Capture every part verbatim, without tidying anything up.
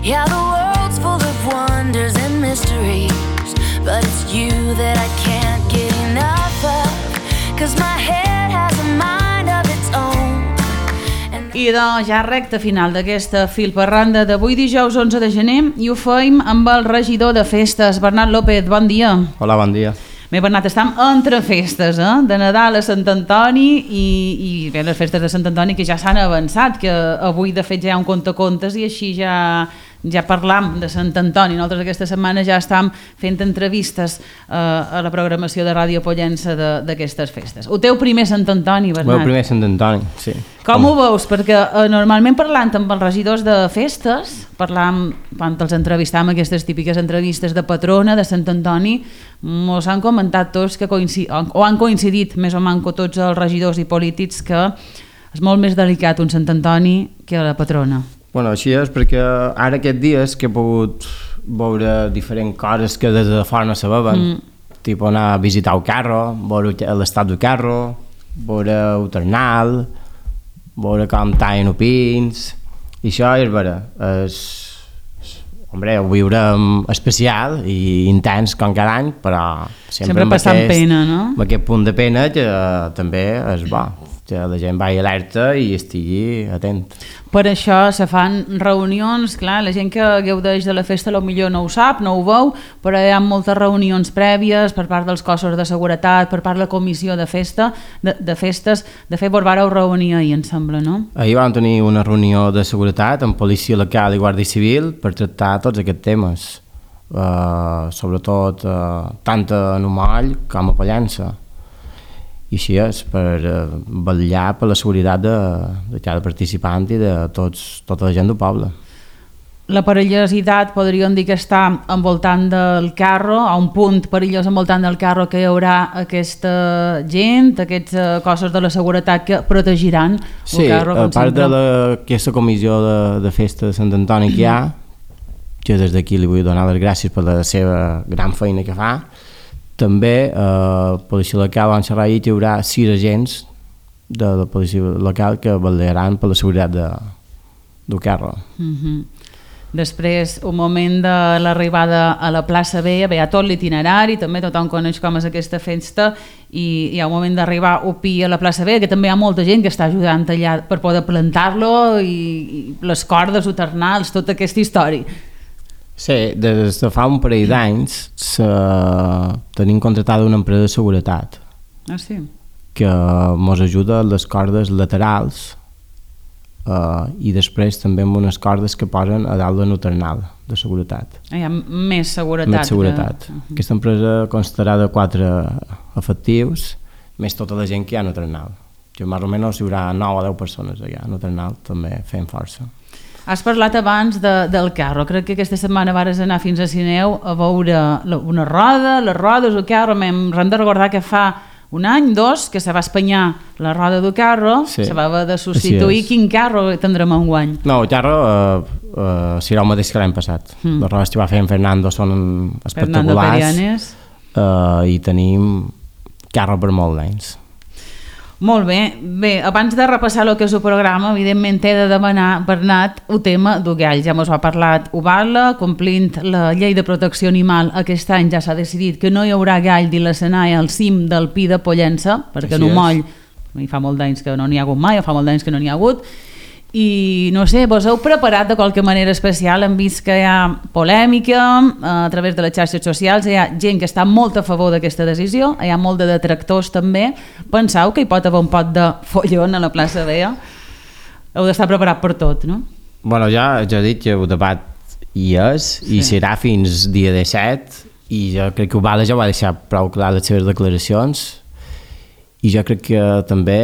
Yeah, the world's full of wonders and mysteries, but it's you that I can't get enough of, 'cause my head has a mind of its own. I doncs ja recta final d'aquesta filparranda d'avui dijous onze de gener i ho feim amb el regidor de festes, Bernat López. Bon dia. Hola, bon dia. Bé, Bernat, estem entre festes, eh? De Nadal a Sant Antoni i, i bé, les festes de Sant Antoni que ja s'han avançat, que avui de fet ja hi ha un contacontes i així ja, ja parlam de Sant Antoni. Nosaltres aquesta setmana ja estem fent entrevistes eh, a la programació de Ràdio Pollença d'aquestes festes. El teu primer Sant Antoni, Bernat. El meu primer Sant Antoni, sí. Com ho veus? Perquè eh, normalment parlant amb els regidors de festes, parlant, quan els entrevistam aquestes típiques entrevistes de patrona de Sant Antoni, mos han comentat tots que coincid, o han coincidit més o manco tots els regidors i polítics que és molt més delicat un Sant Antoni que la patrona. Bueno, així és, perquè ara aquests dies que he pogut veure diferents coses que des de fora no sabaven, mm. tipus anar a visitar el carro, veure l'estat del carro, veure el ternal, veure com tallen els pins, i això és vera, és... Hombre, ho viurem especial i intens com cada any, però sempre, sempre passant aquest, pena, no? Amb aquest punt de pena que també és bo, que la gent vagi alerta i estigui atent. Per això se fan reunions, clar, la gent que gaudeix de la festa potser no ho sap, no ho veu, però hi ha moltes reunions prèvies per part dels cossos de seguretat, per part de la comissió de festa, de, de festes. De fet, vos vareu reunir ahir, em sembla, no? Ahir vam tenir una reunió de seguretat amb policia local i guàrdia civil per tractar tots aquests temes, uh, sobretot uh, tant a Numoll com a Pollença. I així és, per uh, vetllar per la seguretat de, de cada participant i de tots, tota la gent del poble. La perillositat podríem dir que està envoltant del carro, a un punt perillós envoltant del carro que hi haurà aquesta gent, aquests uh, cossos de la seguretat que protegiran sí, el carro. Sí, a part de la, aquesta comissió de, de festa de Sant Antoni que hi ha, que des d'aquí li vull donar les gràcies per la seva gran feina que fa, també a eh, policia local van xerrar ahir que hi haurà sis agents de la policia local que vetllaran per la seguretat de, del carro. Mm-hmm. Després, un moment de l'arribada a la plaça Vella, ve a tot l'itinerari, també tothom coneix com és aquesta festa, i hi ha un moment d'arribar a Pi a la plaça Vella, que també hi ha molta gent que està ajudant allà per poder plantar-lo, i, i les cordes, els ternals, tota aquesta història. Sí, des de fa un parell d'anys tenim contratada una empresa de seguretat ah, sí? que ens ajuda a les cordes laterals uh, i després també amb unes cordes que posen a dalt del ternal de seguretat. Ah, hi ha més seguretat. Més seguretat. Que... Aquesta empresa constarà de quatre efectius, més tota la gent que hi ha en el ternal. Que més o menys hi haurà nou o deu persones allà en el ternal, també fent força. Has parlat abans de, del carro, crec que aquesta setmana vares anar fins a Sineu a veure la, una roda, les rodes, el carro, hem de recordar que fa un any, dos, que se va espanyar la roda del carro, sí, se va haver de substituir. Quin carro tindrem enguany? No, el carro uh, uh, serà el mateix que l'any passat. Mm. Les rodes que va fer en Fernando són espectaculars uh, i tenim carro per molts anys. Molt bé. Bé, abans de repassar el que és el programa, evidentment he de demanar, Bernat, el tema del gall. Ja ens ho ha parlat Ubala, complint la llei de protecció animal, aquest any ja s'ha decidit que no hi haurà gall de l'escenari al cim del Pi de Pollença, perquè en Numoll fa molt d'anys que no n'hi ha hagut mai, o fa molt d'anys que no n'hi ha hagut, i no sé, vos heu preparat de qualque manera especial? Hem vist que hi ha polèmica a través de les xarxes socials, hi ha gent que està molt a favor d'aquesta decisió, hi ha molt de detractors també. Penseu que hi pot haver un pot de follon a la plaça Vella? Heu d'estar preparat per tot, no? Bueno, ja, ja he dit que el debat hi és, sí, i serà fins dia disset, i jo crec que Ubala ja va deixar prou clar les seves declaracions, i jo crec que també...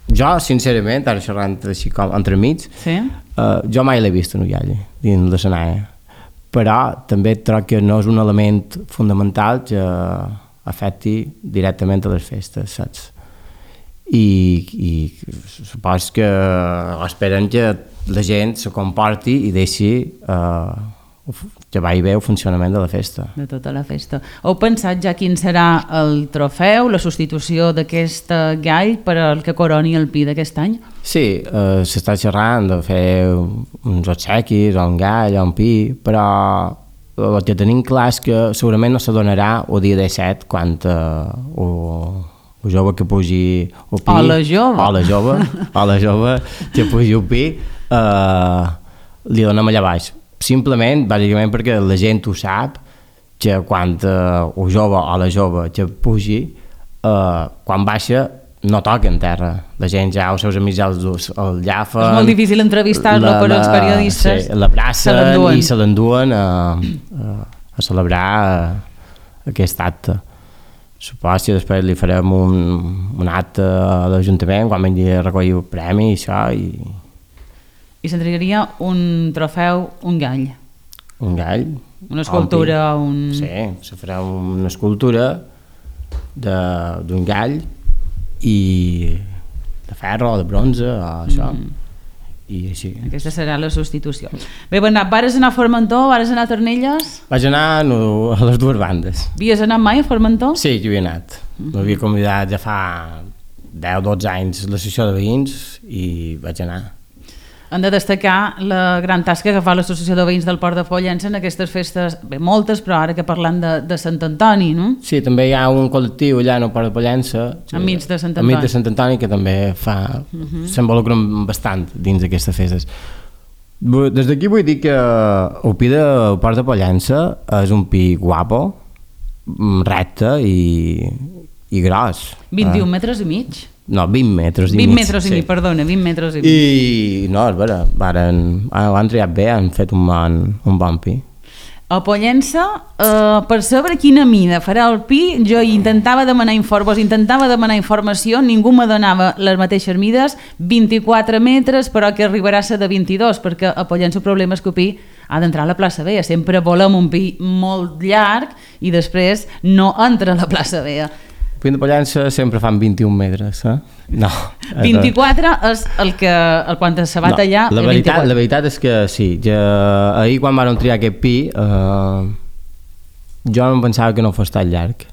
Jo, sincerament, ara xerrant així com entre mig, sí? uh, jo mai l'he vist en Ullall, dins l'escenari, però també trobo que no és un element fundamental que afecti directament a les festes, saps? I, i supos que esperen que la gent se comporti i deixi uh, que vagi bé el funcionament de la festa. De tota la festa. Heu pensat ja quin serà el trofeu, la substitució d'aquest gall per al que coroni el Pi d'aquest any? Sí, eh, s'està xerrant de fer uns obsequis o un gall o un pi, però el que tenim clar és que segurament no se donarà el dia disset quan eh, o, o jove que pugi el pi... O la jove. O la jove, o la jove que pugi el pi, eh, li donem allà baix. Simplement, bàsicament perquè la gent ho sap, que quan eh, el jove o la jove que pugi, eh, quan baixa no toca en terra. La gent ja, els seus amics ja el, el llafen... És molt difícil entrevistar-lo per als periodistes. Sí, l'abracen i se l'enduen a, a, a celebrar aquest acte. Suposo que després li farem un, un acte a l'Ajuntament quan vingui a recollir el premi i això, i... I s'entregaria un trofeu, un gall. Un gall. Una escultura, un... Sí, se farà una escultura d'un gall i de ferro o de bronze o això. Mm. I així. Aquesta serà la substitució. Bé, Bernat, vares anar a Formentor, vares anar a Ternelles? Vaig anar no, a les dues bandes. Havies anat mai a Formentor? Sí, jo hi he anat. Mm-hmm. M'havia convidat ja fa deu dotze anys a l'associació de veïns i vaig anar. Hem de destacar la gran tasca que fa l'Associació de Veïns del Port de Pollença en aquestes festes, bé, moltes, però ara que parlant de, de Sant Antoni, no? Sí, també hi ha un col·lectiu allà al Port de Pollença, enmig de Sant Antoni, enmig de Sant Antoni que també fa, uh-huh. s'involucren bastant dins d'aquestes festes. Des d'aquí vull dir que el pi del Port de Pollença és un pi guapo, recte i, i gros. vint-i-un eh? metres i mig? No, vint metres i mig. vint mig, metres i mig, sí. Perdona, vint metres i mig. I no, és vera, varen, ho han triat bé, han fet un bon, un bon pi. A Pollença, eh, per saber quina mida farà el pi, jo intentava demanar informes, intentava demanar informació, ningú me donava les mateixes mides, vint-i-quatre metres, però que arribarà a ser de vint-i-dos, perquè a Pollença el problema és que el pi ha d'entrar a la plaça Vella, sempre volem un pi molt llarg i després no entra a la plaça Vella. El pi de Pollença sempre fan vint-i-un metres, eh? No. vint-i-quatre és el que el quan se va tallar... No, la, veritat, la veritat és que sí, ja, ahir quan vam triar aquest pi, eh, jo no em pensava que no fos tan llarg.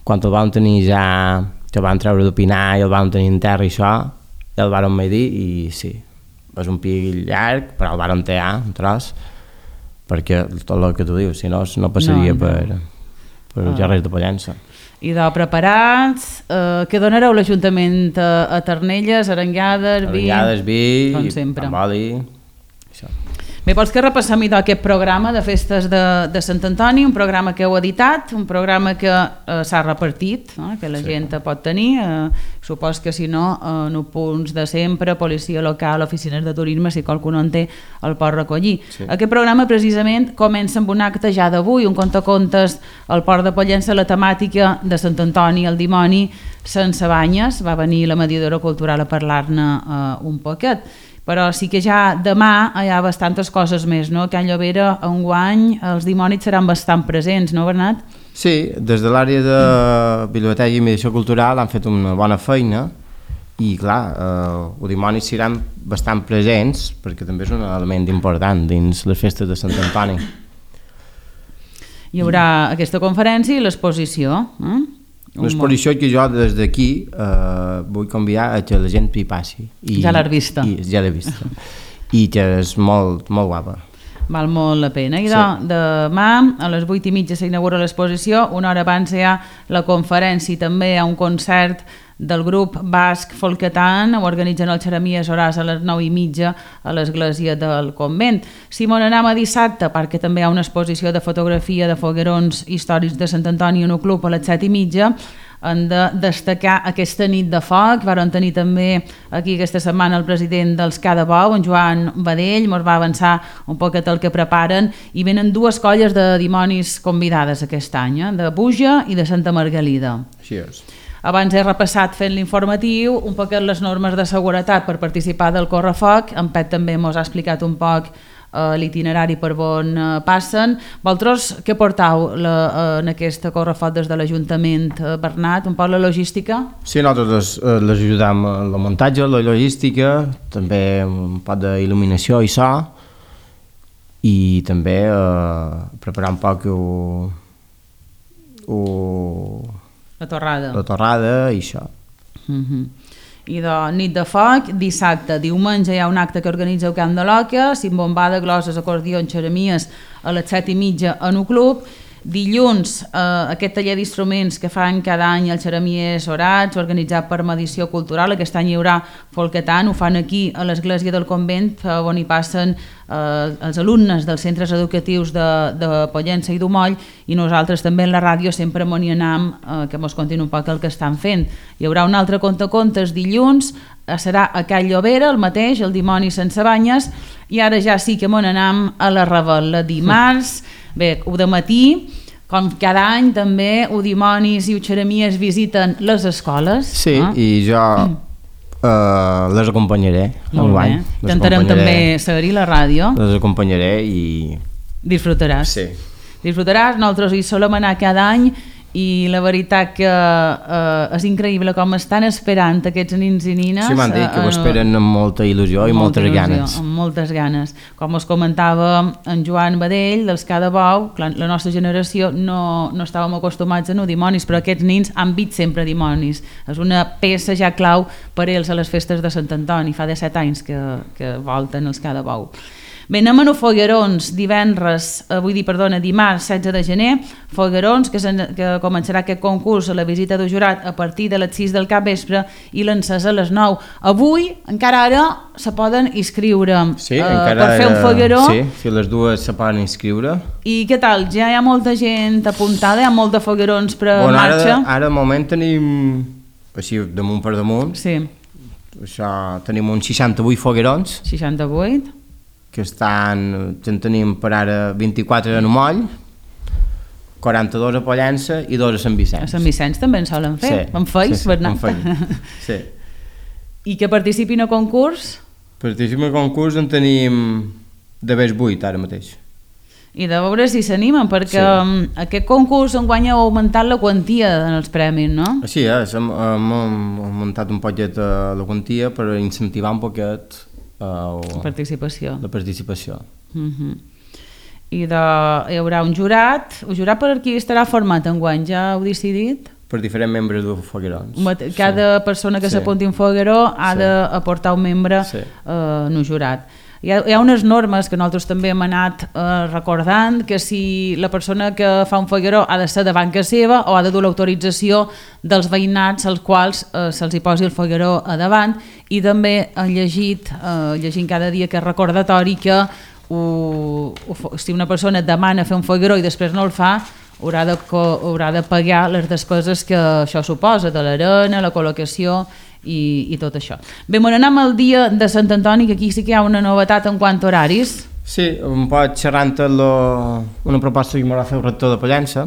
Quan el vam tenir ja, que el vam treure de pinar i el vam tenir en terra i això, ja el vam medir i sí, és un pi llarg, però el vam tallar un tros, perquè tot el que tu dius, si no, no passaria no, no. per, per els carrers de Pollença. I de preparats, eh, què donareu l'Ajuntament a, a Ternelles, arengades, vi... Arengades, vi, com sempre. Pamboli, això. Bé, vols que repassem idò aquest programa de festes de, de Sant Antoni, un programa que heu editat, un programa que eh, s'ha repartit, no? Que la sí. gent pot tenir, eh, supos que si no, en eh, punts de sempre, policia local, oficines de turisme, si qualcú no en té, el pot recollir. Sí. Aquest programa precisament comença amb un acte ja d'avui, un contacontes al Port de Pollença, la temàtica de Sant Antoni, el dimoni, sense banyes, va venir la mediadora cultural a parlar-ne eh, un poquet. Però sí que ja demà hi ha bastantes coses més, no? Que a Llobera, enguany, els dimonis seran bastant presents, no, Bernat? Sí, des de l'àrea de biblioteca i mediació cultural han fet una bona feina i, clar, eh, els dimonis seran bastant presents perquè també és un element important dins les festes de Sant Antoni. Hi haurà aquesta conferència i l'exposició, eh? L'exposició que jo des d'aquí eh, vull convidar a que la gent hi passi. I, ja l'has vista. I, ja l'he vista. I que és molt, molt guapa. Val molt la pena. I sí. de, demà a les vuit i mitja s'inaugura l'exposició, una hora abans hi ha la conferència i també hi ha un concert del grup basc Folketan, ho organitzen el Xeramies Horàs a les nou i mitja a l'església del convent. Si m'on anem a dissabte, perquè també hi ha una exposició de fotografia de foguerons històrics de Sant Antoni en un club a les set i mitja, hem de destacar aquesta nit de foc. Varen tenir també aquí aquesta setmana el president dels Cada Bou, en Joan Badell, ens va avançar un poquet el que preparen i venen dues colles de dimonis convidades aquest any, eh? De Buja i de Santa Margalida. Així és. Abans he repassat fent l'informatiu un poquet les normes de seguretat per participar del correfoc. En Pet també ens ha explicat un poc eh, l'itinerari per on eh, passen. Vosaltres què portau la, eh, en aquest correfoc des de l'Ajuntament, eh, Bernat? Un poc la logística? Sí, nosaltres les, les ajudam en la muntatge, la logística, també un poc d'il·luminació i so. i també eh, preparar un poc o, o, La torrada. la torrada i això. Uh-huh. I de nit de foc, dissabte, diumenge hi ha un acte que organitza el Camp de l'Oca, cimbombada, gloses, acordions, xeremies a les set i mitja en un club. Dilluns, eh, aquest taller d'instruments que fan cada any els xeremiers orats, organitzat per Medició Cultural. Aquest any hi haurà folketant, ho fan aquí a l'església del convent, eh, on hi passen eh, els alumnes dels centres educatius de, de Pollença i d'Umoll, i nosaltres també en la ràdio sempre m'hi anem, eh, que mos contin un poc el que estan fent. Hi haurà un altre contacontes dilluns, eh, serà a Cal Llobera, el mateix, el dimoni sense banyes, i ara ja sí que m'on anem a la Ravel·la dimarts. Bé, ho de matí, com cada any també, ho dimonis i ho xeremies visiten les escoles. Sí, eh? I jo uh, les acompanyaré. Molt bé, intentarem també seguir la ràdio. Les acompanyaré i... Disfrutaràs. Sí. Disfrutaràs, nosaltres hi solem anar cada any, i la veritat que eh, és increïble com estan esperant aquests nins i nines. Sí, m'han dit que ho esperen amb molta il·lusió i moltes il·lusió, ganes. Amb moltes ganes. Com us comentava en Joan Badell, dels Cada Bou, la nostra generació no, no estàvem acostumats a no dimonis, però aquests nins han vist sempre dimonis. És una peça ja clau per ells a les festes de Sant Antoni. Fa disset anys que, que volten els Cada Bou. Bé, anem a Foguerons, divendres, eh, vull dir, perdona, dimarts setze de gener, Foguerons, que, que començarà aquest concurs a la visita del jurat a partir de les sis del capvespre i l'encès a les nou. Avui, encara ara, se poden inscriure sí, eh, encara per fer un fogueró. Sí, si les dues se poden inscriure. I què tal? Ja hi ha molta gent apuntada, hi ha molts de foguerons per bueno, marxa? Ara, ara al moment tenim, així damunt per damunt, sí. Això, tenim uns seixanta-vuit foguerons. seixanta-vuit? Que estan, en tenim per ara vint-i-quatre a Umoll, quaranta-dos a Pollença i dos a Sant Vicenç. A Sant Vicenç també en solen fer, sí, en feis, sí, sí, Bernat. Sí. I que participin a concurs? Participin a concurs en tenim de més vuit ara mateix. I de veure si s'animen, perquè sí. Aquest concurs enguany ha augmentat la quantia en els premis, no? Així és, hem, hem augmentat un poquet la quantia per incentivar un poquet Uh, participació. La participació. Uh-huh. I de, hi haurà un jurat. El jurat per aquí estarà format enguany, ja heu decidit? Per diferents membres de foguerons. Cada sí. persona que sí. s'apunti un fogueró ha sí. d'aportar un membre sí. uh, en un jurat. Hi ha, hi ha unes normes que nosaltres també hem anat eh, recordant, que si la persona que fa un fogueró ha de ser de banca seva o ha de dur l'autorització dels veïnats als quals eh, se'ls hi posi el fogueró a davant, i també he llegit, eh, llegint cada dia que és recordatori que ho, ho, si una persona demana fer un fogueró i després no el fa, haurà de, haurà de pagar les despeses que això suposa, de l'arena, la col·locació i, i tot això. Bé, me n'anem al dia de Sant Antoni, que aquí sí que hi ha una novetat en quant a horaris. Sí, un poc xerrant lo, una proposta que m'ha fet el rector de Pollença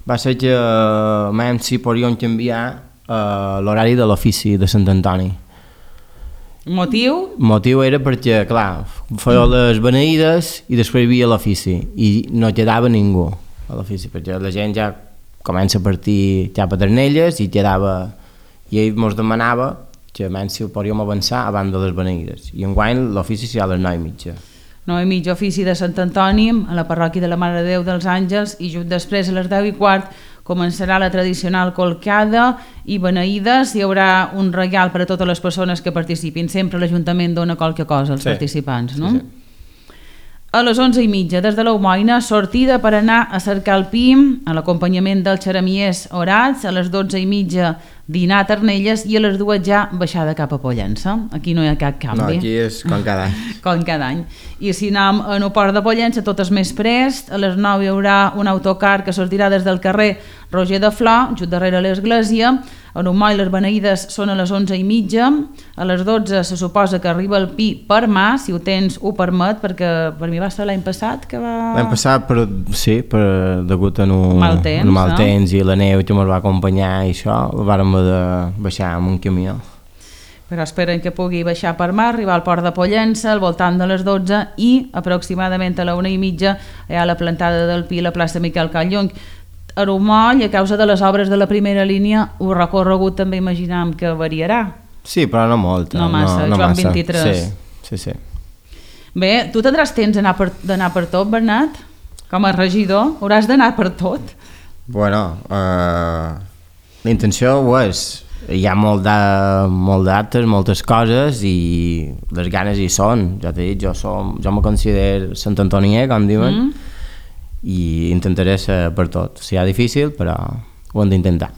va ser que uh, si podríem canviar uh, l'horari de l'ofici de Sant Antoni. Motiu? Motiu era perquè, clar, feia les beneïdes i després hi havia l'ofici i no quedava ningú a l'ofici, perquè la gent ja comença a partir ja Pedernelles i quedava... i ell ens demanava que menys si ho podíem avançar abans de les beneïdes, i enguany l'ofici serà a les nou i mitja. nou i mitja ofici de Sant Antoni a la parròquia de la Mare de Déu dels Àngels, i just després a les deu i quart començarà la tradicional colcada i beneïdes. Hi haurà un regal per a totes les persones que participin, sempre l'Ajuntament dona qualque cosa als sí. participants, no? Sí, sí. A les onze i mitja, des de l'Aumoina, sortida per anar a cercar el pi, a l'acompanyament dels xeremiers orats. A les dotze i mitja, dinar a Ternelles, i a les dues ja baixada cap a Pollença. Aquí no hi ha cap canvi. No, aquí és com cada any. Com cada any. I si anem a el port de Pollença, tot és més prest. A les nou hi haurà un autocar que sortirà des del carrer Roger de Flor, just darrere l'església. A Umoll les beneïdes són a les onze i mitja. A les dotze se suposa que arriba el pi per mà, si ho tens ho permet, perquè per mi va ser l'any passat que va... L'any passat, però, sí, per, degut a un mal temps, un mal no? temps i la neu que ens va acompanyar i això, el vàrem de baixar amb un camió. Però esperen que pugui baixar per mar, arribar al port de Pollença al voltant de les dotze, i aproximadament a la una i mitja hi ha la plantada del pi a la plaça Miquel Callung. A Umoll, a causa de les obres de la primera línia, el recorregut també imaginem que variarà. Sí, però no molt. No massa, no, no Joan massa. vint-i-tres. Sí, sí, sí. Bé, tu tindràs temps d'anar per, d'anar per tot, Bernat? Com a regidor, hauràs d'anar per tot. Bueno, eh, la intenció ho és. Hi ha molt de, molt d'actes, moltes coses i les ganes hi són. Ja t'he dit, jo, som, jo me considero Sant Antonier, com diuen, mm. i intentaré ser per tot. Serà difícil, però ho hem d'intentar.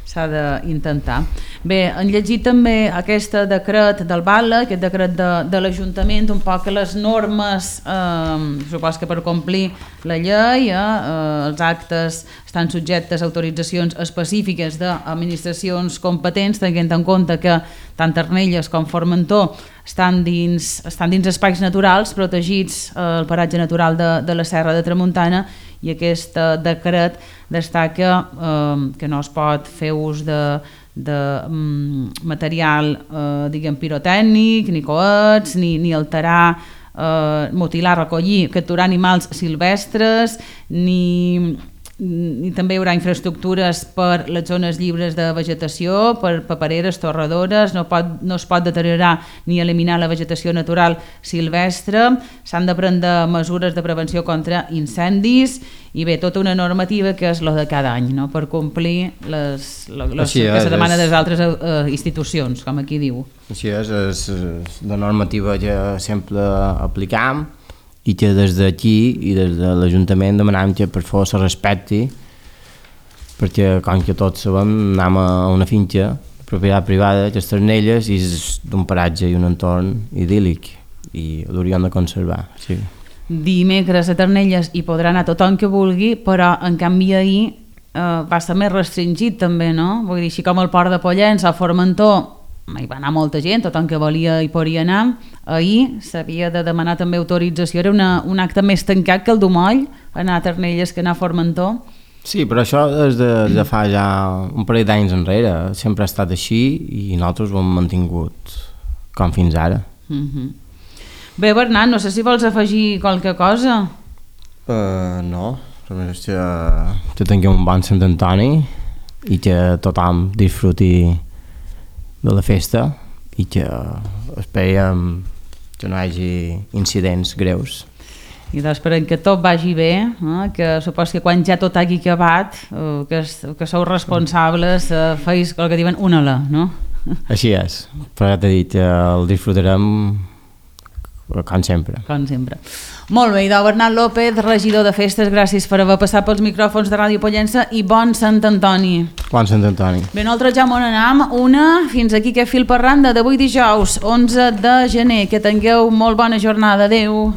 S'ha d'intentar. Bé, han llegit també aquest decret del Batlle, aquest decret de, de l'Ajuntament, un poc les normes, eh, supos que per complir la llei, eh, els actes estan subjectes a autoritzacions específiques d'administracions competents, tenint en compte que tant Arnelles com Formentor estan dins, estan dins espais naturals protegits al eh, paratge natural de, de la Serra de Tramuntana, i aquest decret destaca eh, que no es pot fer ús de, de um, material eh, diguem pirotècnic, ni coets, ni, ni alterar, eh, mutilar, recollir, capturar animals silvestres, ni... i també hi haurà infraestructures per les zones lliures de vegetació, per papereres, torradores, no, pot, no es pot deteriorar ni eliminar la vegetació natural silvestre, s'han de prendre mesures de prevenció contra incendis i bé, tota una normativa que és la de cada any, no? Per complir les, les, les, Així que és, se demana és... des d'altres eh, institucions, com aquí diu. Així és, és, és la normativa que sempre aplicam i que des d'aquí i des de l'Ajuntament demanem que per favor se respecti, perquè com que tots sabem anem a una finca de propietat privada que és Arnelles i és d'un paratge i un entorn idíl·lic i l'hauríem de conservar. Sí. Dimecres a Arnelles hi podrà anar tothom que vulgui, però en canvi ahir eh, va ser més restringit també, no? Vull dir, així com el Port de Pollença, a Formentor hi va anar molta gent, tothom que volia hi podia anar. Ahir s'havia de demanar també autorització, era una, un acte més tancat que el d'Umoll, anar a Arnelles que anar a Formentor. Sí, però això és de, de fa ja un parell d'anys enrere, sempre ha estat així i nosaltres ho hem mantingut com fins ara. Uh-huh. Bé, Bernat, no sé si vols afegir qualque cosa. Uh, no, només que, que tinguem un bon Sant Antoni i que tothom disfruti de la festa i que esperem que no hi hagi incidents greus. I doncs esperem que tot vagi bé, eh? Que supos que quan ja tot hagi acabat, eh, que, que sou responsables, eh, feis el que diuen una la, no? Així és, però ja t'he dit, el disfrutarem com sempre. Com sempre. Molt bé, idò Bernat López, regidor de festes, gràcies per haver passat pels micròfons de Ràdio Pollença i bon Sant Antoni. Bon Sant Antoni. Bé, nosaltres ja m'on anam, una, fins aquí que fil per randa d'avui dijous, onze de gener. Que tingueu molt bona jornada. Adéu.